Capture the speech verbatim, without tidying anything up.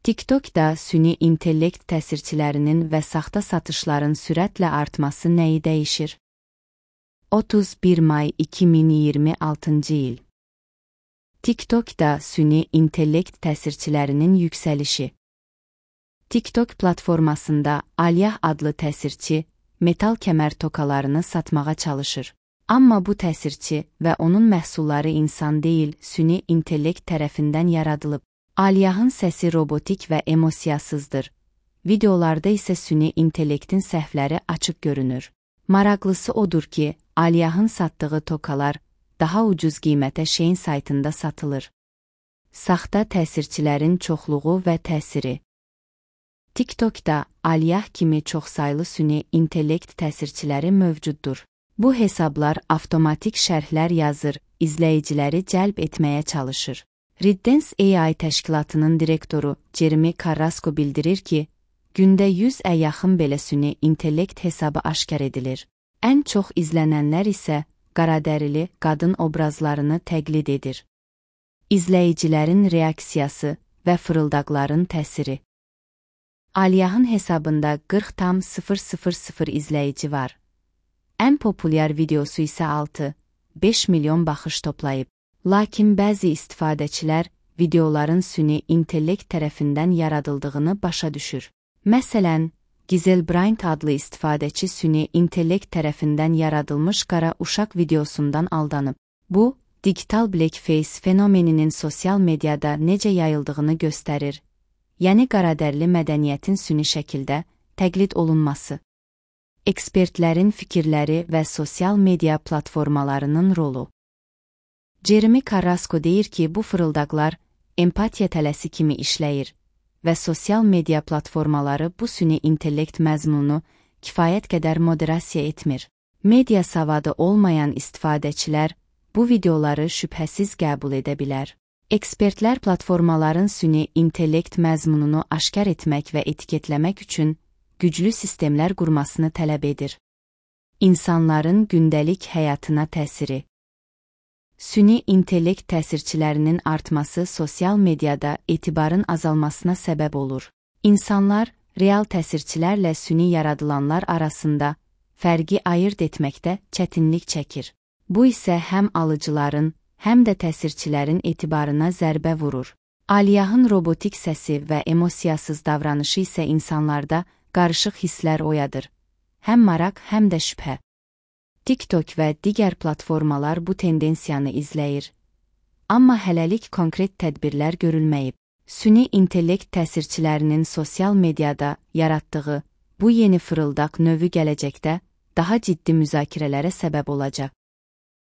TikTokda süni intellekt təsirçilərinin və saxta satışların sürətlə artması nəyi dəyişir? otuz bir may iki min iyirmi altıncı il. TikTokda süni intellekt təsirçilərinin yüksəlişi. TikTok platformasında Aliyah adlı təsirçi metal kəmər tokalarını satmağa çalışır. Amma bu təsirçi və onun məhsulları insan deyil, süni intellekt tərəfindən yaradılıb. Aliyahın səsi robotik və emosiyasızdır. Videolarda isə süni intellektin səhvləri açıq görünür. Maraqlısı odur ki, Aliyahın satdığı tokalar daha ucuz qiymətə Shein saytında satılır. Saxta təsirçilərin çoxluğu və təsiri. TikTokda Aliyah kimi çoxsaylı süni intellekt təsirçiləri mövcuddur. Bu hesablar avtomatik şərhlər yazır, izləyiciləri cəlb etməyə çalışır. Reddance A I təşkilatının direktoru Jeremy Carrasco bildirir ki, gündə yüzə yaxın belə süni intellekt hesabı aşkar edilir. Ən çox izlənənlər isə qaradərili qadın obrazlarını təqlid edir. İzləyicilərin reaksiyası və fırıldaqların təsiri. Aliyahın hesabında qırx tam sıfır sıfır sıfır izləyici var. Ən populyar videosu isə altı beş milyon baxış toplayıb. Lakin bəzi istifadəçilər videoların süni intellekt tərəfindən yaradıldığını başa düşür. Məsələn, Gizel Bryant adlı istifadəçi süni intellekt tərəfindən yaradılmış qara uşaq videosundan aldanıb. Bu, digital blackface fenomeninin sosial mediada necə yayıldığını göstərir. Yəni qaradərli mədəniyyətin süni şəkildə təqlid olunması. Ekspertlərin fikirləri və sosial media platformalarının rolu. Jeremy Carrasco deyir ki, bu fırıldaqlar empatiya tələsi kimi işləyir və sosial media platformaları bu süni intellekt məzmununu kifayət qədər moderasiya etmir. Media savadı olmayan istifadəçilər bu videoları şübhəsiz qəbul edə bilər. Ekspertlər platformaların süni intellekt məzmununu aşkar etmək və etiketləmək üçün güclü sistemlər qurmasını tələb edir. İnsanların gündəlik həyatına təsiri. Süni intellekt təsirçilərinin artması sosial mediada etibarın azalmasına səbəb olur. İnsanlar real təsirçilərlə süni yaradılanlar arasında fərqi ayırd etməkdə çətinlik çəkir. Bu isə həm alıcıların, həm də təsirçilərin etibarına zərbə vurur. Aliyahın robotik səsi və emosiyasız davranışı isə insanlarda qarışıq hisslər oyadır. Həm maraq, həm də şübhə. TikTok və digər platformalar bu tendensiyanı izləyir. Amma hələlik konkret tədbirlər görülməyib. Süni intellekt təsirçilərinin sosial mediada yaratdığı bu yeni fırıldaq növü gələcəkdə daha ciddi müzakirələrə səbəb olacaq.